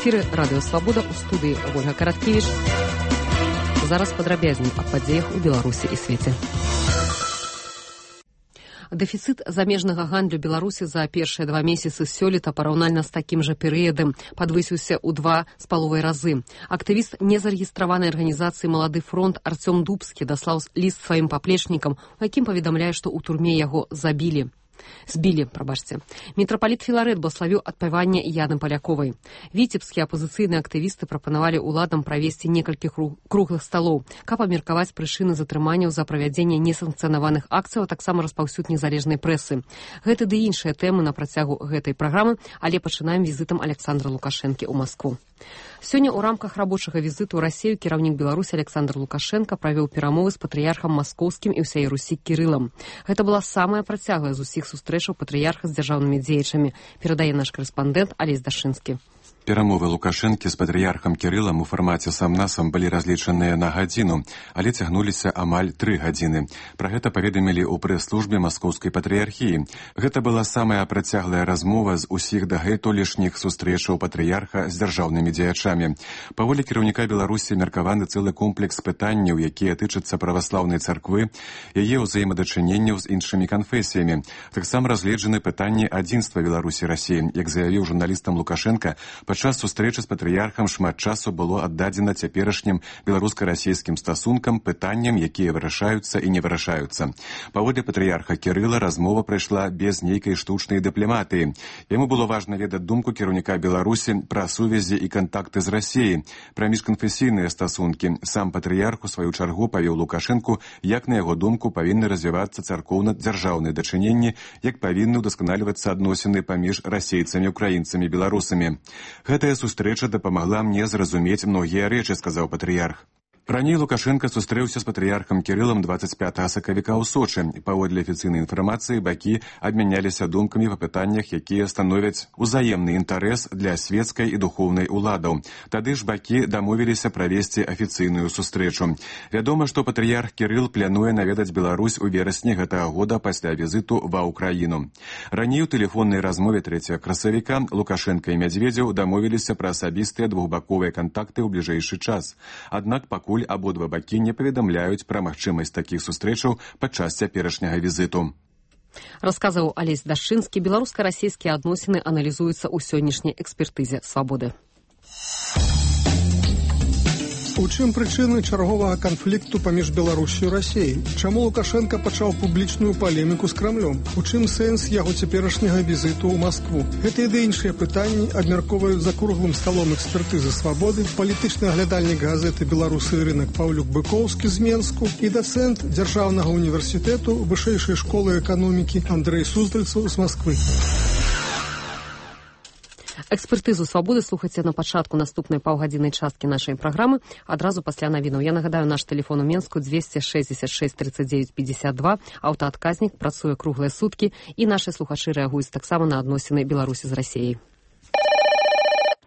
эфіры радыё Свабода, у студыі Ольга Караткевіч. Зараз падрабязней аб падзеях у Беларусі і свеце. Дэфіцыт замежнага гандлю Беларусі за першыя 2 месяцы сёлета параўнальна з такім жа перыядам падвысіўся ў 2,5 разы. Актывіст незарэгістраванай арганізацыі «Малады фронт» Артём Дубскі даслаў ліст сваім паплечнікам, у якім паведамляе, што ў турме яго збілі. Мітрапаліт Філарэт блаславіў адпаванне Яны Паляковай. Віцебскія апазіцыйныя актывісты прапанавалі ўладам правесці некалькі круглых сталоў, каб абмеркаваць прычыны затрыманняў за правядзенне несанкцыянаваных акцыяў, а таксама распаўсюд незалежнай прэсы. Гэты ды іншыя тэмы на працягу гэтай праграмы, але пачынаем візітам Александра Лукашэнкі ў Маскву. Сёння ў рамках рабочага візіту ў Расію кіраўнік Беларусі Александр Лукашенко правёў перамовы з патрыярхам маскоўскім і ўсяе Русі Кірылам. Гэта была самая працяглая з усіх сустрэчаў патрыярха з дзяржаўнымі дзеячамі, перадае наш карэспандэнт Алесь Дашынскі. Перамовы Лукашэнкі з патрыярхам Кірылам у фармаце сам-насам былі разлічаныя на гадзіну, але цягнуліся амаль 3 гадзіны. Пра гэта паведамілі ў прэс-службе маскоўскай патрыярхіі. Гэта была самая працяглая размова з усіх дагэтулішніх сустрэчаў патрыярха з дзяржаўнымі дзеячамі. Паводле кіраўніка Беларусі меркаваны цэлы комплекс пытанняў, якія тычацца праваслаўнай царквы, яе ўзаемадачыненняў з іншымі канфесіямі. Таксама разгледжаны пытанні адзінства Беларусі і Расіі. Як заявіў журналістам Лукашенка, падчас сустрэчы з патрыярхам шмат часу было аддадзена цяперашнім беларуска-расійскім стасункам, пытанням, якія вырашаюцца і не вырашаюцца. Паводле патрыярха Кірыла размова прайшла без нейкай штучнай дыпламатыі. Яму было важна ведаць думку кіраўніка Беларусі пра сувязі і кантакты з Расіяй, пра міжканфесійныя стасункі. Сам патрыярх у сваю чаргу павёў Лукашэнку, як на яго думку павінны развівацца царкоўна-дзяржаўныя дачыненні, як павінны ўдасканальвацца адносіны паміж расейцамі, украінцамі, беларусамі. Гэтая сустрэча дапамагла мне зразумець многія рэчы, сказаў патрыярх. Раней Лукашенко сустрэўся з патрыярхам Кірылам 25 сакавіка ў Сочы. Паводле афіцыйнай інфармацыі бакі абмяняліся думкамі па пытаннях, якія становяць узаемны інтарэс для свецкай і духоўнай уладаў. Тады ж бакі дамовіліся правесці афіцыйную сустрэчу. Вядома, што патрыярх Кірыл плануе наведаць Беларусь у верасні гэтага года пасля візіту ва Ўкраіну. Раней у тэлефоннай размове 3 красавіка Лукашенко і Мядзведзеў дамовіліся пра асабістыя двухбаковыя кантакты ў бліжэйшы час. Аднак пакуль абодва бакі не паведамляюць пра магчымасць такіх сустрэчаў падчас цяперашняга візіту. Расказваў Алесь Дашынскі. Беларуска-расійскія адносіны аналізуюцца ў сённяшняй экспертызе «Свабоды». У чым прычыны чарговага канфлікту паміж Беларусю і Расіяй? Чаму Лукашенко пачаў публічную палеміку з Крамлём? У чым сэнс яго цяперашняга візіту ў Маскву? Гэтыя ды іншыя пытанні абмяркоўваюць за круглым сталом экспертызы «Свабоды» палітычны аглядальнік газеты «Беларусы і рынак» Паўлюк Быкоўскі з Менску і дацэнт Дзяржаўнага універсітэту Вышэйшай школы эканомікі Андрэй Суздальцаў з Масквы. Экспертызу «Свабоды» слухайце на пачатку наступнай паўгадзіннай часткі нашай праграмы, адразу пасля навінаў. Я нагадаю, наш тэлефон у Менску 266 39 52, аўтаадказнік, працуе круглыя суткі, і нашы слухачы рэагуюць таксама на адносіны Беларусі з Расіяй.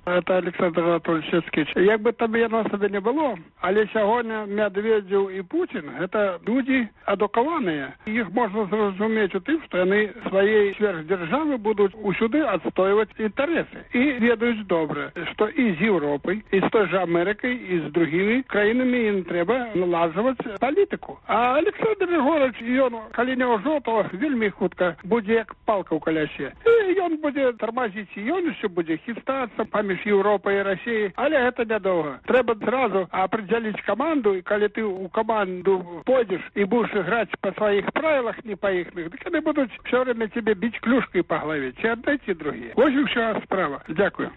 Это Александр Анатольевич. Як бы там яно сабе не было, але сягоння Медведзеў і Путін – гэта людзі адукаваныя. Іх можна зразумець у тым, што яны сваёй сверхдзяржавы будуць усюды адстойваць інтарэсы. І ведаюць добра, што і з Еўропай, і з той жа Амерыкай, і з другімі краінамі ім трэба наладжваць палітыку. А Александр Григорович, ён, калі не ўжо, то вельмі хутка будзе як палка ў калясе. І ён будзе тармазіць, і ён усё будзе хістацца паміж Европой и Россией, але это нядолго. Треба сразу определить команду, и когда ты у команду пойдешь и будешь играть по своих правилах, не по их, так они будут все время тебе бить клюшкой по голове. Те отдайте другие. Вот и вся справа. Дякую.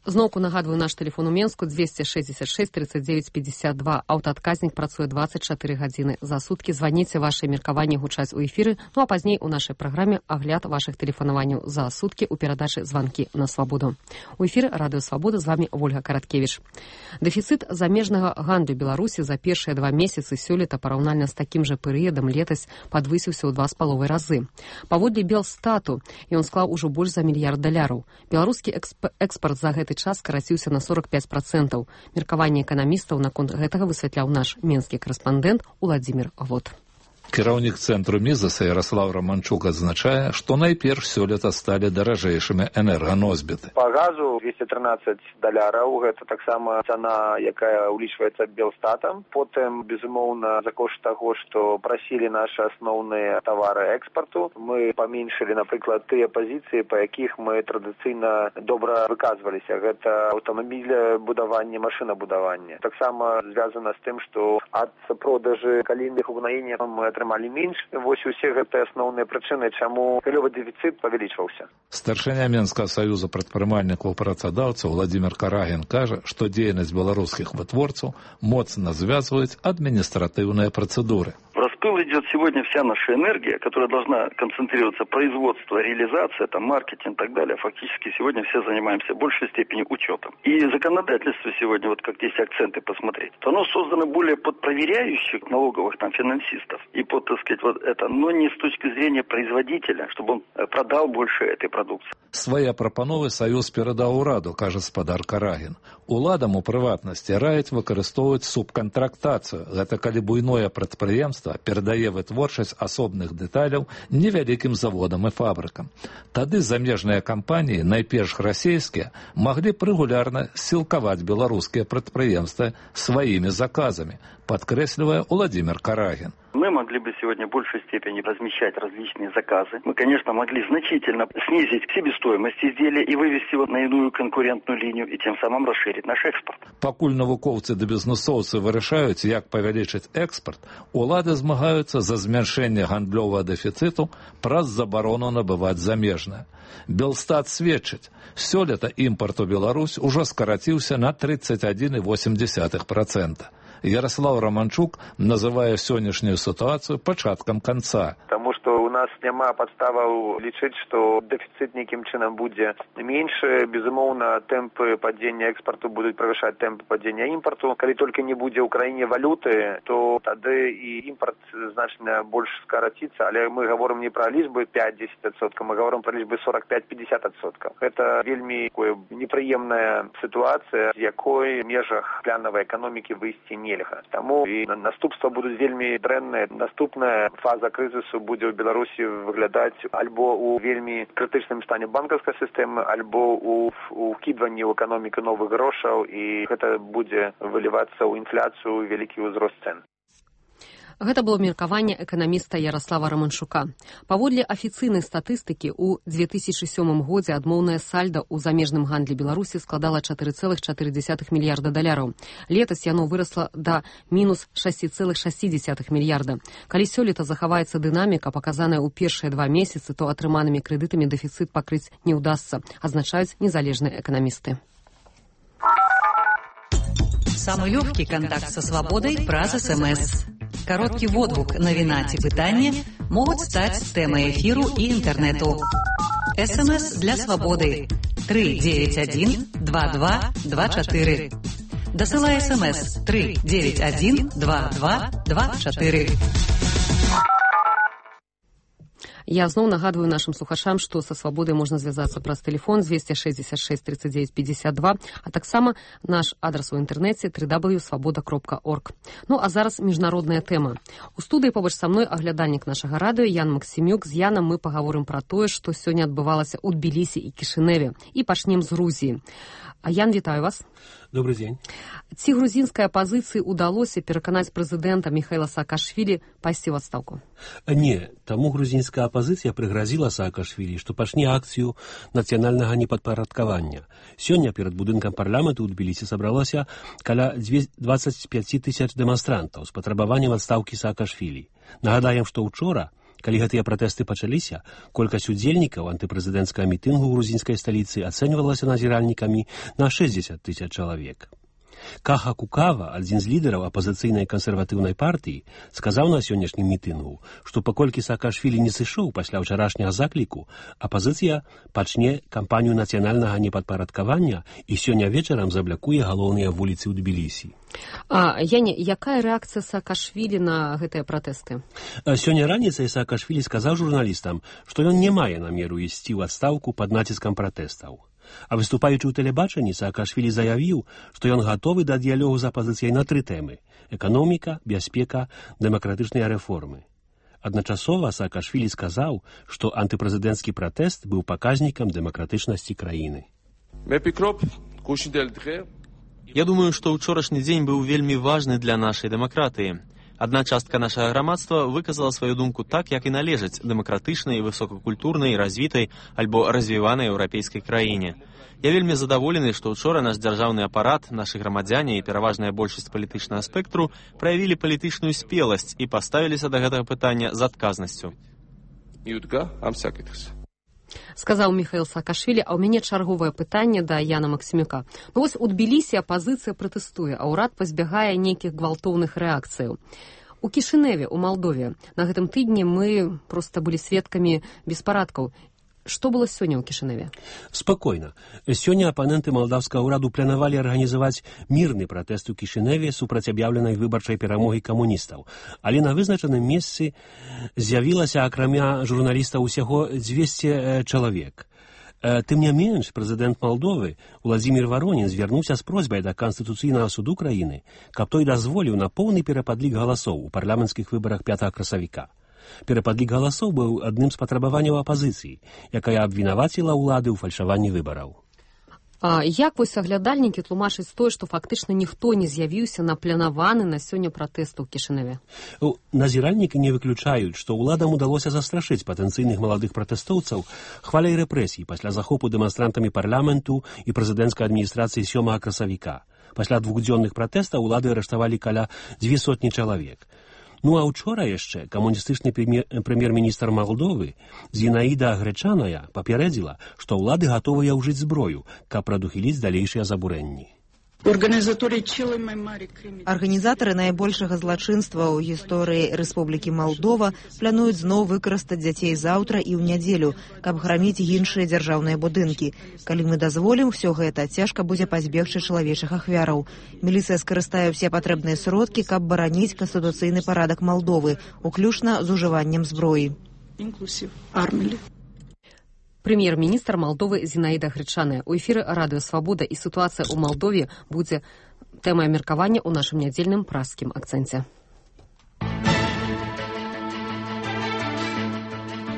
Зноўку нагадваю, наш тэлефон у Менску 266 39 52. Аўтаадказнік працуе 24 гадзіны за суткі. Званіце, вашыя меркаванні гучаць у эфіры, ну а пазней у нашай праграме агляд вашых тэлефанаванняў за суткі ў перадачы «Званкі на Свабоду». У эфіры радыё Свабода, з вамі Ольга Караткевіч. Дэфіцыт замежнага гандлю Беларусі за першыя 2 месяцы сёлета параўнальна з такім жа перыядам летась падвысіўся ў 2,5 разы. Паводле Белстату ён склаў ужо больш за $1 мільярд. Беларускі экспарт за гэты час скараціўся на 45%. Меркаванне эканамістаў наконт гэтага высвятляў наш менскі карэспандэнт Уладзімір Гвот. Кіраўнік цэнтру Мізаса Ярослав Романчук адзначае, што найперш сёлета сталі даражэйшымі энерганосьбіты. Па газу $213, гэта таксама цана, якая улічваецца Белстатам. Потым, безумоўна, за кошт таго, што прасілі нашы асноўныя тавары экспарту, мы паменшылі, напрыклад, тыя пазіцыі, па якіх мы традыцыйна добра выказваліся. Гэта аўтамабілебудаванне, машынабудаванне. Таксама звязана з тым, што ад продажы калійных угнаенняў мы атрымалі менш. Вось усе гэтыя асноўныя прычыны, чаму галёвы дэфіцыт павялічваўся. Старшыня Менскага саюза прадпрымальнікаў працадаўцаў Владимир Карагін кажа, што дзейнасць беларускіх вытворцаў моцна звязваюць административные процедуры. В распыл идет сегодня вся наша энергия, которая должна концентрироваться производство, реализация, там, маркетинг и так далее. Фактически сегодня все занимаемся в большей степени учетом. И законодательство сегодня, вот как здесь акценты посмотреть, то оно создано более под проверяющих налоговых там финансистов и под, так сказать, вот это, но не с точки зрения производителя, чтобы он продал больше этой продукции. Свае прапановы Саюз перадаў ураду, кажа спадар Карагін. Уладам у прыватнасці раяць выкарыстоўваць субкантрактацыю. Гэта калі буйное прадпрыемства перадае вытворчасць асобных дэталяў невялікім заводам і фабрыкам. Тады замежныя кампаніі, найперш расійскія, маглі б рэгулярна сілкаваць беларускія прадпрыемствы сваімі заказамі, подкресливая Владимир Карагин. Мы могли бы сегодня в большей степени размещать различные заказы. Мы, конечно, могли значительно снизить себестоимость изделия и вывести его на иную конкурентную линию и тем самым расширить наш экспорт. Пакуль навукоўцы да бізнесоўцы вырашаюць, як павялічыць экспорт, улады змагаюцца за змяншэнне гандлёвага дэфіцыту праз забарону набываць замежнае. Белстат сведчыць, сёлета імпарт у Беларусь ужо скараціўся на 31,8%. Ярослав Романчук называе сённяшнюю ситуацию пачаткам конца. Потому что у нас няма подставаў лічыць, што дэфіцыт нейкім чынам будзе меньше. Безумоўна, тэмпы падзення экспорту будуць правышаць тэмпы падзення імпарту. Калі толькі не будзе ў краіне валюты, то тады і імпарт значна больш скараціцца. Але мы гаворым не пра лічбы 5-10%, мы гаворым пра лічбы 45-50%. Гэта вельмі непрыемная сітуацыя, з якой в межах планавай эканомікі выйсці нельга. Таму і наступства будуць вельмі дрэнныя. Наступная фаза крызісу будзе ў Беларусі выглядаць альбо ў вельмі крытычным стане банкаўскай сістэмы, альбо ў вкідванні ў эканоміку новых грошаў, і гэта будзе вылівацца ў інфляцыю, вялікі ўзрост цэн. Гэта было меркаванне эканаміста Ярослава Романчука. Паводле афіцыйнай статыстыкі, у 2007 годзе адмоўнае сальда ў замежным гандлі Беларусі складала $4,4 мільярда. Летась яно вырасла да мінус $6,6 мільярда. Калі сёлета захаваецца дынаміка, паказаная ў першыя 2 месяцы, то атрыманымі крэдытамі дэфіцыт пакрыць не ўдасца, азначаюць незалежныя эканамісты. Самый легкий контакт со свободой праз СМС. Короткий водгук, навіна ці пытанне могуць стаць тэмай эфіру і інтэрнэту. СМС для свабоды 391 2224. Дасылай СМС 391 2224. Я зноў нагадваю нашим слухачам, што са свабодай можна звязацца праз тэлефон 266 39 52, а таксама наш адрас у інтэрнэце www.svoboda.org. Ну а зараз міжнародная тэма. У студыі побач са мной аглядальнік нашага радыё Ян Максімюк. З Янам мы паговорым пра тое, што сёння адбывалася ў Тбілісі і Кішыневе. І пачнем з Грузіі. А Ян, вітаю вас. Добрый день. Ці грузінскай апазіцыі ўдалося пераканаць прэзідэнта Михайла Саакашвілі пайсці ў адстаўку? Не, таму грузінская апазіцыя прыгразіла Саакашвілі, што пачне акцыю нацыянальнага непадпарадкавання. Сёння перад будынкам парламенту ў Тбілісі сабралося каля 25 тысяч дэманстрантаў з патрабаваннем адстаўкі Саакашвілі. Нагадаем, што ўчора, калі гэтыя пратэсты пачаліся, колькасць удзельнікаў антыпрэзідэнцкага мітынгу ў грузінскай сталіцы ацэньвалася назіральнікамі на 60 тысяч чалавек. Каха Кукава, адзін з лідараў апазіцыйнай кансерватыўнай партыі, сказаў на сённяшнім мітынгу, што паколькі Саакашвілі не сышоў пасля ўчарашняга закліку, апазіцыя пачне кампанію нацыянальнага непадпарадкавання і сёння вечарам заблякуе галоўныя вуліцы ў Тбілісі. Яне, якая рэакцыя Саакашвілі на гэтыя пратэсты? Сёння раніцай Саакашвілі сказаў журналістам, што ён не мае намеру ісці ў адстаўку пад націскам пратэстаў. А выступаючы ў тэлебачанні, Саакашвілі заявіў, што ён гатовы да дыялогу з апазіцыяй на 3 тэмы – эканоміка, бяспека, дэмакратычныя рэформы. Адначасова Саакашвілі сказаў, што антыпрэзідэнцкі пратэст быў паказнікам дэмакратычнасці краіны. Я думаю, што ўчорашні дзень быў вельмі важны для нашай дэмакратыі. Адна частка нашага грамадства выказала сваю думку так, як і належаць дэмакратычнай, высокакультурнай, развітай альбо развіванай еўрапейскай краіне. Я вельмі задаволены, што ўчора наш дзяржаўны апарат, нашы грамадзяне і пераважная большасць палітычнага спектру праявілі палітычную спеласць і паставіліся да гэтага пытання з адказнасцю. Сказаў Міхаіл Саакашвілі, а ў мяне чарговае пытанне да Яна Максімюка. Ну вось у Тбілісі апазіцыя пратэстуе, а ўрад пазбягае нейкіх гвалтоўных рэакцыяў. У Кішыневе, у Малдове, на гэтым тыдні мы проста былі сведкамі беспарадкаў. Што было сёння ў Кішыневе? Спакойна. Сёння апаненты малдаўскага ўраду планавалі арганізаваць мірны пратэст у Кішыневе супраць аб'яўленай выбарчай перамогі камуністаў. Але на вызначаным месцы з'явілася акрамя журналістаў усяго 200 чалавек. Тым не менш, прэзідэнт Малдовы Уладзімір Варонін звярнуўся з просьбай да Канстытуцыйнага суду краіны, каб той дазволіў на поўны перападлік галасоў у парламенцкіх выбарах 5 красавіка. Перападлік галасоў быў адным з патрабаванняў апазіцыі, якая абвінаваціла ўлады ў фальшаванні выбараў. А як вось аглядальнікі тлумачаць тое, што фактычна ніхто не з'явіўся на планаваны на сёння пратэст у Кішыневе? Назіральнікі не выключаюць, што ўладам удалося застрашыць патэнцыйных маладых пратэстоўцаў хваляй рэпрэсій пасля захопу дэманстрантамі парламенту і прэзідэнцкай адміністрацыі 7 красавіка. Пасля двухдзённых пратэстаў улады арыштавалі каля 200 чалавек. Ну а учора яшчэ камуністычны прэм'ер-міністр Малдовы Зінаіда Грэчаная папярэдзіла, што ўлады гатовыя ўжыць зброю, каб прадухіліць далейшыя забурэнні. Арганізатары найбольшага злачынства ў гісторыі Рэспублікі Малдова плануюць зноў выкарыстаць дзяцей заўтра і ў нядзелю, каб граміць іншыя дзяржаўныя будынкі. Калі мы дазволім усё гэта, цяжка будзе пазбегчы чалавечых ахвяраў. Міліцыя скарыстае ўсе патрэбныя сродкі, каб бараніць канстытуцыйны парадак Малдовы, уключна з ужываннем зброі. Прэм'ер-міністр Малдовы Зінаіда Грэчаная. У эфіры радыё «Свабода» і сітуацыя ў Малдове будзе тэмай меркавання ў нашым нядзельным праскім акцэнце.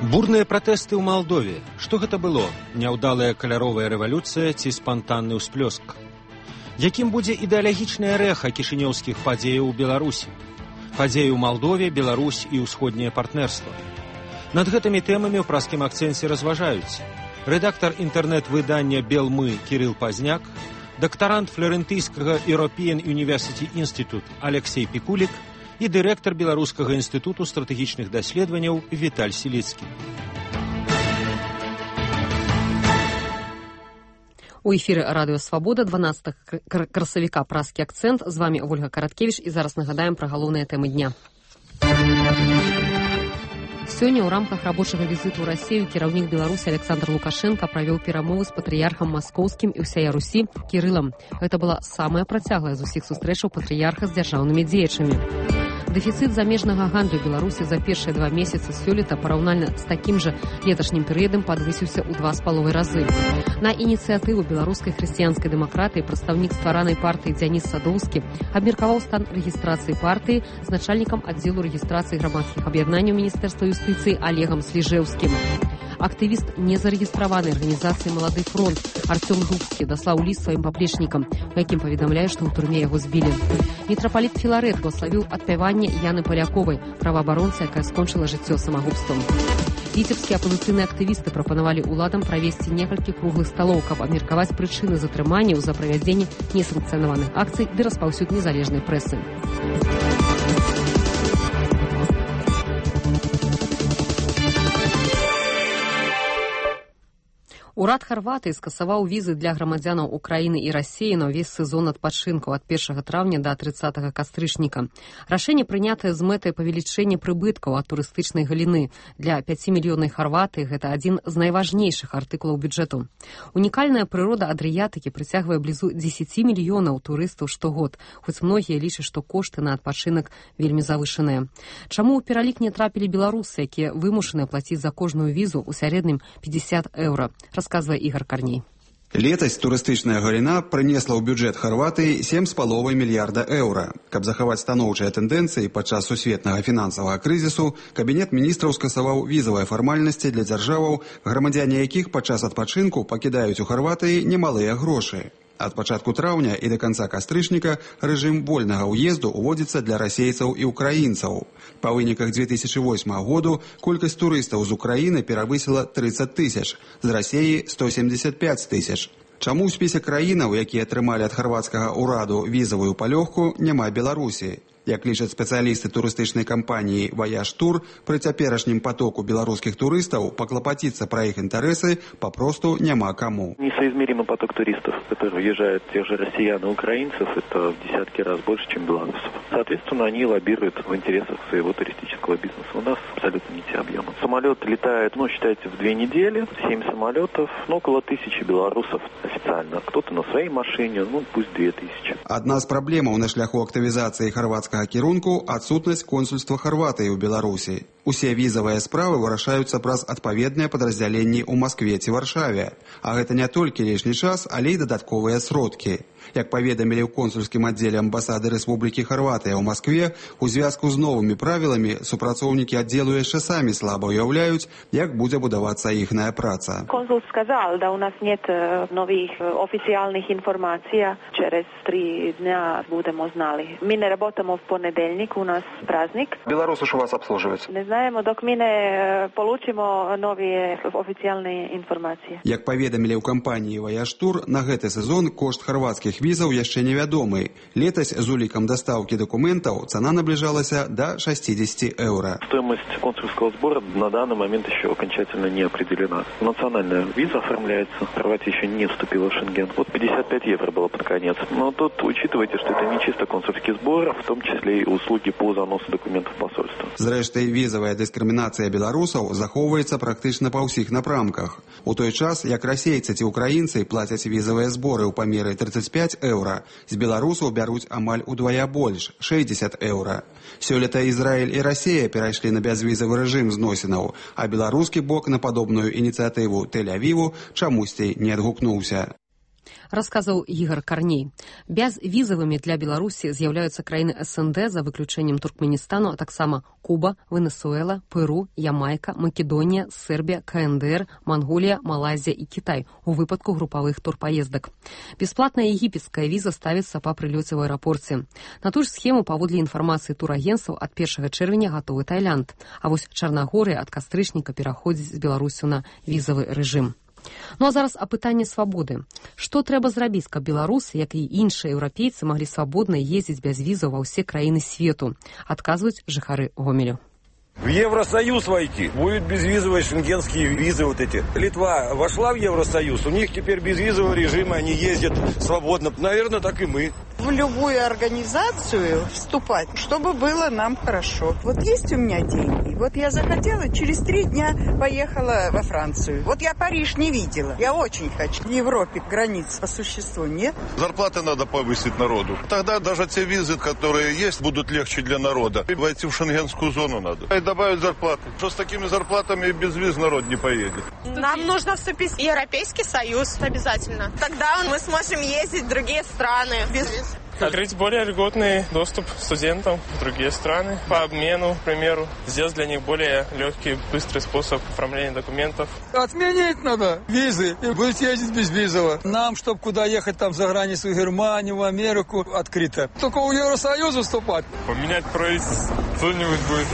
Бурныя пратэсты ў Малдове. Што гэта было? Няўдалая каляровая рэвалюцыя ці спантанны ўсплёск? Якім будзе ідэалагічнае рэха кішынёўскіх падзеяў у Беларусі? Падзеі ў Малдове, Беларусь і ўсходняе партнерства. Над гэтымі тэмамі ў праскім акцэнце разважаюць рэдактар інтэрнэт-выдання «Белмы» Кірыл Пазняк, дактарант флорентыйскага European University Institute Алексей Пікулік і дырэктар Беларускага інстытуту стратэгічных даследаванняў Віталь Сіліцкі. У эфіры радыё «Свабода» 12 красавіка праскі акцэнт. З вамі Ольга Караткевіч і зараз нагадаем пра галоўныя тэмы дня. Сёння ў рамках рабочага візіту ў Расію кіраўнік Беларусі Александр Лукашенко правёў перамовы з патрыярхам маскоўскім і ўсяя Русі Кірылам. Гэта была самая працяглая з усіх сустрэчаў патрыярха з дзяржаўнымі дзеячамі. Дэфіцыт замежнага гандлю Беларусі за першыя 2 месяцы сёлета параўнальна з такім жа леташнім перыядам падвысіўся ў 2,5 разы. На ініцыятыву беларускай хрысціянскай дэмакратыі прадстаўнік стваранай партыі Дзяніс Садоўскі абмеркаваў стан рэгістрацыі партыі з начальнікам аддзелу рэгістрацыі грамадскіх аб'яднанняў Міністэрства юстыцыі Олегам Сліжэўскім. Актывіст незарэгістраванай арганізацыі «Малады фронт» Артём Дубскі даслаў ліст сваім паплечнікам, у якім паведамляе, што ў турме яго збілі. Мітрапаліт Філарэт благославіў адпяванне Яны Паляковай, праваабаронцы, якая скончыла жыццё самагубствам. Віцебскія апазіцыйныя актывісты прапанавалі ўладам правесці некалькі круглых сталоў, каб абмеркаваць прычыны затрыманняў за правядзенне несанкцыянаваных акцый ды распаўсюд незалежнай прэсы. Урад Харватыі скасаваў візы для грамадзянаў Украіны і Расіі на ўвесь сезон адпачынку ад 1 траўня да 30 кастрычніка. Рашэнне прынятае з мэтай павелічэння прыбыткаў ад турыстычнай галіны. Для 5 мільёнаў Харватыі гэта адзін з найважнейшых артыкулаў бюджэту. Унікальная прырода Адрыятыкі прыцягвае блізу 10 мільёнаў турыстаў штогод, хоць многія лічаць, што кошты на адпачынак вельмі завышаныя. Чаму ў пералік не трапілі беларусы, якія вымушаны плаціць за кожную візу ў сярэднім 50 еўра? Рассказывает Игорь Корней. Летась турыстычная галіна прынесла ў бюджэт Харватыі 7,5 мільярда еўра. Каб захаваць станоўчыя тэндэнцыі падчас сусветнага фінансавага крызісу, Кабінет міністраў скасаваў візавыя фармальнасці для дзяржаваў, грамадзяне якіх падчас адпачынку пакідаюць у Харватыі немалыя грошы. Ад пачатку траўня і да канца кастрычніка рэжым вольнага ўезду ўводзіцца для расейцаў і ўкраінцаў. Па выніках 2008 году колькасць турыстаў з Украіны перавысіла 30 тысяч, з Расеі 175 тысяч. Чаму ў спісе краінаў, якія атрымалі ад харвацкага ўраду візавую палёгку, няма Беларусі? Як лічаць спецыялісты турыстычнай кампаніі «Ваяж Тур», пры цяперашнім потоку беларускіх турыстаў паклапаціцца пра іх інтарэсы папросту няма каму. Несоизмеримый поток туристов, которые въезжают, тех же россиян и украинцев, это в десятки раз больше, чем белорусов. Соответственно, они лоббируют в интересах своего туристического бизнеса. У нас абсолютно не те объемы. Самолет летает, считайте, в 2 недели, 7 самолетов, около 1000 белорусов официально. Кто-то на своей машине, пусть 2000. Одна з праблемаў на шляху актывізацыі харвацкага кірунку – адсутнасць консульства Харватыі ў Беларусі. Усе візавыя справы вырашаюцца праз адпаведныя падраздзяленні ў Маскве ці Варшаве. А гэта не толькі лішні час, але і дадатковыя сродкі. Як паведамілі ў консульскім аддзеле амбасады Рэспублікі Харватыя ў Маскве, у звязку з новымі правіламі супрацоўнікі аддзелу яшчэ самі слаба уяўляюць, як будзе будавацца іхная праца. Консул сказал, да у нас нет новых официальных информаций. Через 3 дня будем узнали. Мы не работаем в понедельник, у нас праздник. Белорусы ж у вас обслуживаются? Не знаем, док мы не получим новые официальные информации. Як паведамілі ў кампаніі «Ваяж Тур», на гэты сезон кошт харвацкіх візаў яшчэ невядомы. Летась з улікам дастаўкі дакументаў цана наближалася до 60 еўра. Стоимость консульского сбора на данный момент еще окончательно не определена. Национальная виза оформляется. Хорватия еще не вступила в Шенген. 55 евро было под конец. Но тут учитывайте, что это не чисто консульский сбор, в том числе и услуги по заносу документов в посольство. Зрэшты, візавая дыскрымінацыя беларусаў захоўваецца практычна па ўсіх напрамках. У той час, як расейцы ці украінцы плацяць візавыя зборы ў памеры 35 еўра, з беларусаў бяруць амаль удвая больш – 60 еўра. Сёлета Ізраіль і Расія перайшлі на бязвізавы рэжым зносінаў, а беларускі бок на падобную ініцыятыву Тель-Авіву чамусьці не адгукнуўся. Расказаў Ігор Карней. Бязвізавымі для Беларусі з'яўляюцца краіны СНД за выключэннем Туркменістану, а таксама Куба, Венесуэла, Перу, Ямайка, Македонія, Сербія, КНДР, Манголія, Малайзія і Кітай у выпадку групавых турпаездак. Бясплатная егіпецкая віза ставіцца па прылёце ў аэрапорце. На ту ж схему, паводле інфармацыі турагенцаў, ад 1 чэрвеня гатовы Тайланд. А вось Чарнагорыя ад кастрычніка пераходзіць з Беларусю на візавы рэжым. Ну а зараз о пытанні свабоды. Што трэба зрабіць, каб беларусы, як і іншыя еўрапейцы, маглі свабодна ездзіць без візаў ва ўсе краіны свету? Адказваюць жыхары Гомелю. В Евросоюз войти. Будут безвизовые шенгенские визы вот эти. Литва вошла в Евросоюз, у них теперь безвизовый режим, они ездят свободно. Наверное, так и мы. В любую организацию вступать, чтобы было нам хорошо. Вот есть у меня деньги. Вот я захотела, через 3 дня поехала во Францию. Вот я Париж не видела. Я очень хочу. В Европе границ по существу нет. Зарплаты надо повысить народу. Тогда даже те визы, которые есть, будут легче для народа. И войти в шенгенскую зону надо. И добавить зарплаты. Что с такими зарплатами без виз народ не поедет. Нам нужно вступить в Европейский Союз обязательно. Тогда мы сможем ездить в другие страны без виз. Открыть более льготный доступ студентам в другие страны по обмену, к примеру. Сделать для них более легкий, быстрый способ оформления документов. Отменить надо визы и будет ездить безвизово. Нам, чтобы куда ехать там за границу, в Германию, в Америку, открыто. Только у Евросоюза вступать. Поменять правительство, что-нибудь будет.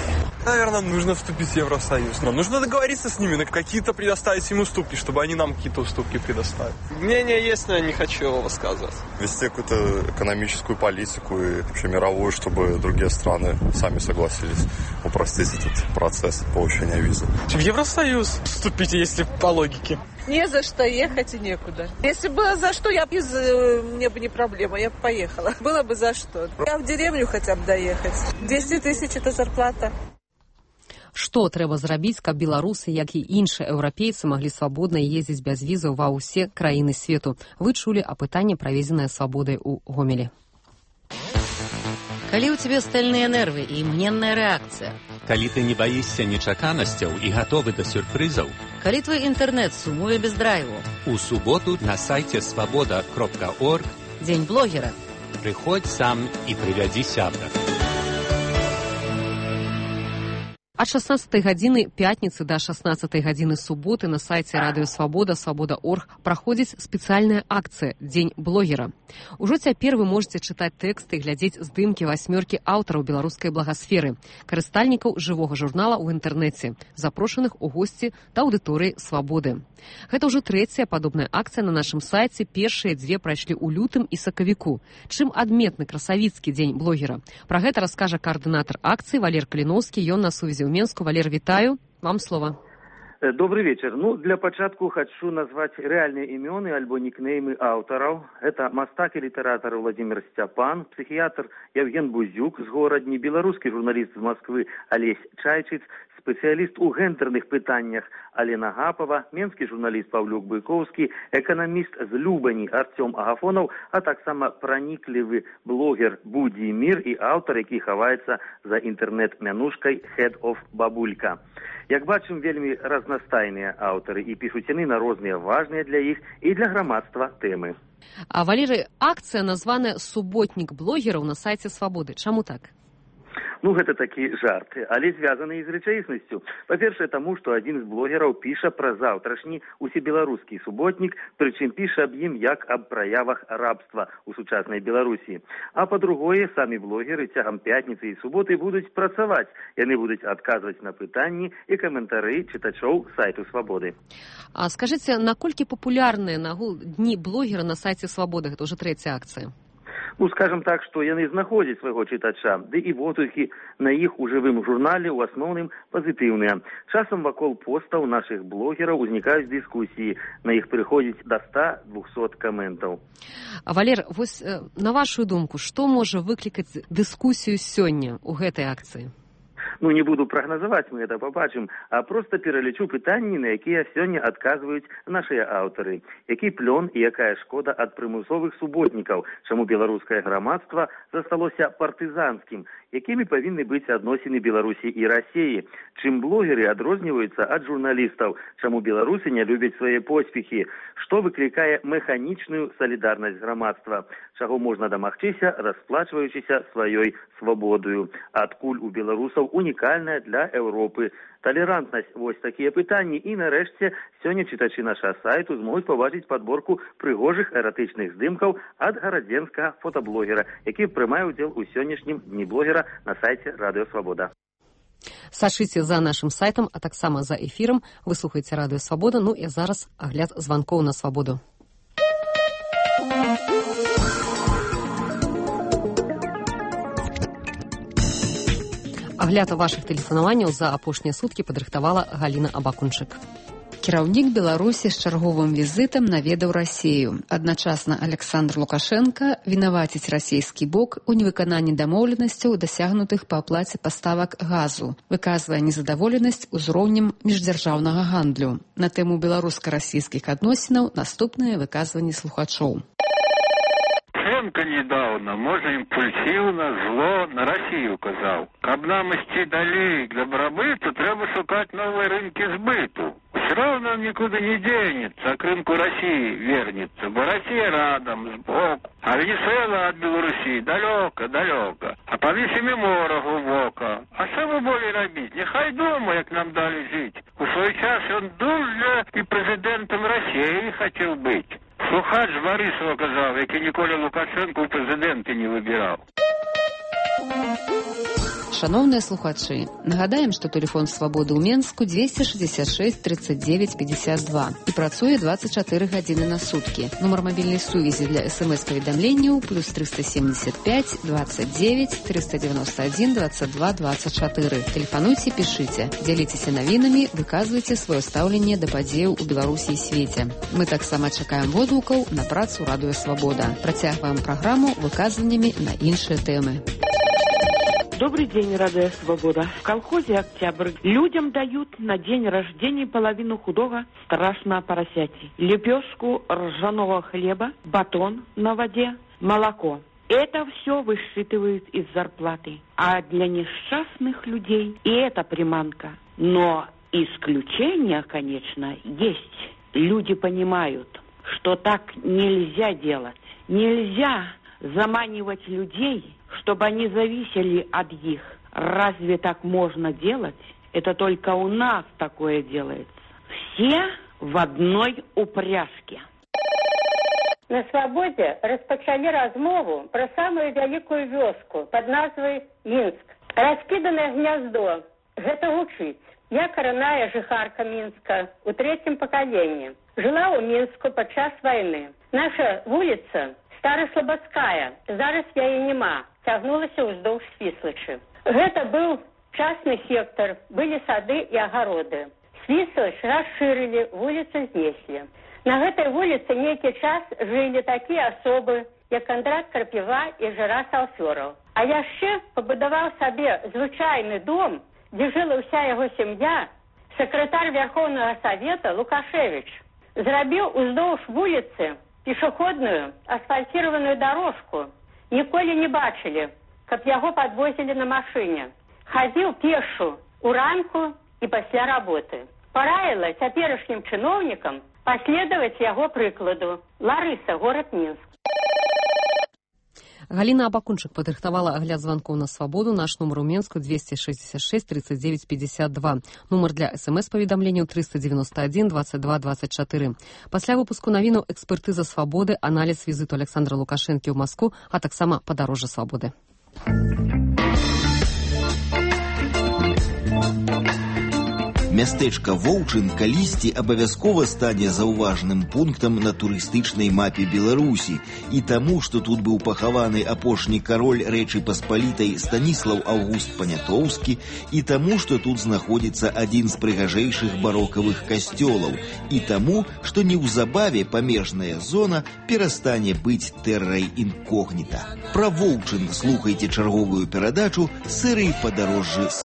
Наверное, нужно вступить в Евросоюз. Но нужно договориться с ними, на какие-то предоставить им уступки, чтобы они нам какие-то уступки предоставили. Мнение есть, но я не хочу его высказывать. Вести какую-то экономическую политику и вообще мировую, чтобы другие страны сами согласились упростить этот процесс получения визы. В Евросоюз вступите, если по логике. Не за что ехать и некуда. Если было за что, мне бы не проблема, я бы поехала. Было бы за что. Я в деревню хотя бы доехать. 200 тысяч это зарплата. Што трэба зрабіць, каб беларусы, як і іншыя еўрапейцы, маглі свабодна ездзіць без візаў ва ўсе краіны свету? Вы чулі апытанне, праведзенае свабодай у Гомелі. Калі ў цябе стальныя нервы і імгненная рэакцыя. Калі ты не баішся нечаканасцяў і гатовы да сюрпрызаў. Калі твой інтэрнэт сумуе без драйву. У суботу на сайце свабода.орг Дзень блогера. Прыходзь сам і прывядзі сябра. Ад 16 гадзіны пятніцы да 16 гадзіны суботы на сайце Радыё Свабода, свабода.орг праходзіць спецыяльная акцыя «Дзень блогера». Ужо цяпер вы можаце чытаць тэксты і глядзець здымкі 8 аўтараў беларускай благасферы, карыстальнікаў жывога журнала ў інтэрнэце, запрошаных у госці да аўдыторыі Свабоды. Гэта ўжо трэцяя падобная акцыя на нашым сайце, першыя дзве прайшлі ў лютым і сакавіку. Чым адметны красавіцкі дзень блогера? Пра гэта раскажа координатор акцыі Валер Каліноўскі, ён на сувязі ў Менску. Валер, вітаю, вам слово. Добрый вечер. Для пачатку хочу назвать реальные имёны альбо никнеймы аўтараў. Это мастак и литератор Владимир Степан, психиатр Евген Бузюк з горадні, беларускі журналист з Москвы Олесь Чайчыц, спецыяліст у гендерных пытаннях Алена Гапова, менскі журналіст Павлюк Быковскі, эканаміст з Любані Артём Агафонаў, а таксама праніклівы блогер Будзі Мір і аўтар, які хаваецца за інтэрнэт-мянушкай Head of Бабулька. Як бачым, вельмі разнастайныя аўтары і пішуць яны на розныя важныя для іх і для грамадства тэмы. А Валерый, акцыя названая «Суботнік блогераў» на сайце Свабоды. Чаму так? Гэта такі жарт, але звязаны і з рэчаіснасцю. Па-першае, таму, што адзін з блогераў піша пра заўтрашні усебеларускі суботнік, прычым піша аб ім як аб праявах рабства ў сучаснай Беларусі. А па-другое, самі блогеры цягам пятніцы і суботы будуць працаваць. Яны будуць адказваць на пытанні і каментары чытачоў сайту Свабоды. А скажыце, наколькі папулярныя нагул дні блогера на сайце Свабоды? Гэта ўжо трэцяя акцыя. Скажем так, што яны знаходзяць свайго чытача, ды і водгукі на іх у жывым журнале ў асноўным пазітыўныя. Часам вакол постаў нашых блогераў узнікаюць дыскусіі, на іх прыходзіць да 100-200 каментаў. Валер, вось на вашу думку, што можа выклікаць дыскусію сёння ў гэтай акцыі? Не буду прагназаваць, мы гэта пабачым, а проста пералічу пытанні, на якія сёння адказваюць нашыя аўтары. Які плён і якая шкода ад прымусовых суботнікаў, чаму беларускае грамадства засталося партызанскім, якімі павінны быць адносіны Беларусі і Расіі, чым блогеры адрозніваюцца ад журналістаў, чаму беларусы не любяць свае поспехі, што выклікае механічную салідарнасць грамадства, чаго можна дамагчыся, расплачваючыся сваёй свабодою, адкуль у беларусаў унікальная для Еўропы талерантнасць. Вось такія пытанні. І нарэшце сёння чытачы нашага сайту змогуць пабачыць падборку прыгожых эратычных здымкаў ад гарадзенскага фотаблогера, які прымае ўдзел у сённяшнім дні блогера на сайце Радыё Свабода. Сачыце за нашым сайтам, а таксама за эфірам. Вы слухаеце Радыё Свабода. І зараз агляд званкоў на Свабоду. Агляд вашых тэлефанаванняў за апошнія суткі падрыхтавала Галіна Абакунчык. Кіраўнік Беларусі з чарговым візітам наведаў Расію. Адначасна Александр Лукашенко вінаваціць расійскі бок у невыкананні дамоўленасцяў, дасягнутых па аплаце паставак газу, выказвае незадаволенасць узроўнем міждзяржаўнага гандлю. На тэму беларуска-расійскіх адносінаў наступнае выказванне слухачоў. Лукашенко недавно, можно импульсивно, зло на Россию указал. Каб нам идти далее к добробыту, треба шукать новые рынки сбыту. Все равно он никуда не денется, а к рынку России вернется, бо Россия рядом, сбоку. А Венесуэла от Белоруссии далеко, а поміж ими море глубоко. А что вы более робить? Нехай дома, як нам дали жить. У свой час он дуже и президентом России хотел быть. Слухач Борисова казав, який ніколи Лукашенко у президенти не вибирав. Шановныя слухачы, нагадаем, што тэлефон Свабоды ў Менску 266 39 52 і працуе 24 гадзіны на суткі. Нумар мабільнай сувязі для СМС-паведамленняў +375 29 391 22 24. Тэлефануйце, пішыце, дзяліцеся навінамі, выказвайце сваё стаўленне да падзеяў у Беларусі і свеце. Мы таксама чакаем водгукаў на працу Радыё Свабода. Працягваем праграму выказваннямі на іншыя тэмы. Добрый день, Радио Свобода. В колхозе «Октябрь» людям дают на день рождения половину худого страшного поросяти. Лепешку ржаного хлеба, батон на воде, молоко. Это все высчитывают из зарплаты. А для несчастных людей и это приманка. Но исключения, конечно, есть. Люди понимают, что так нельзя делать. Нельзя заманивать людей, чтобы они зависели от них. Разве так можно делать? Это только у нас такое делается. Все в одной упряжке. На свабодзе распачалі размову пра самую вялікую вёску пад назвай Мінск. Раскіданае гняздо. Гэта гучыць. Я караная жыхарка Мінска у третьем пакаленні. Жыла ў Мінску падчас вайны. Наша вуліца Стараслабадская, зараз яе няма, цягнулася ўздоўж Свіслачы. Гэта быў частны сектар, былі сады і агароды. Свіслач расшырылі, вуліцу знеслі. На гэтай вуліцы нейкі час жылі такія асобы, як Кандрат Карпіва і Жыра Салфёраў. А яшчэ пабудаваў сабе звычайны дом, дзе жыла ўся яго сям'я, сакратар Верховнага Савета Лукашевіч. Зрабіў уздоўж вуліцы пешаходную асфальтированную дорожку. Ніколі не бачылі, каб яго падвозілі на машыне. Хадзіў пешу уранку і пасля работы. Параіла цяперашнім чыноўнікам последовать яго прыкладу. Ларыса, город Мінск. Галина Абакунчык падрыхтавала агляд званкоў на свабоду. Наш нумар у Менску 266 39 52. Нумар для СМС-паведамленняў 391 22 24. Пасля выпуску навінаў экспертыза свабоды, аналіз візіту Александра Лукашэнкі ў Маскву, а таксама падарожжа свабоды. Мястэчка Воўчын калісьці абавязкова стане заўважным пунктам на турыстычнай мапе Беларусі. І таму, што тут быў пахаваны апошні кароль Рэчы Паспалітай Станіслаў Аўгуст Панятоўскі, і таму, што тут знаходзіцца адзін з прыгажэйшых барокавых касцёлаў, і таму, што неўзабаве памежная зона перастане быць тэррай інкогніта. Пра Воўчын слухайце чарговую перадачу серыі «Падарожжы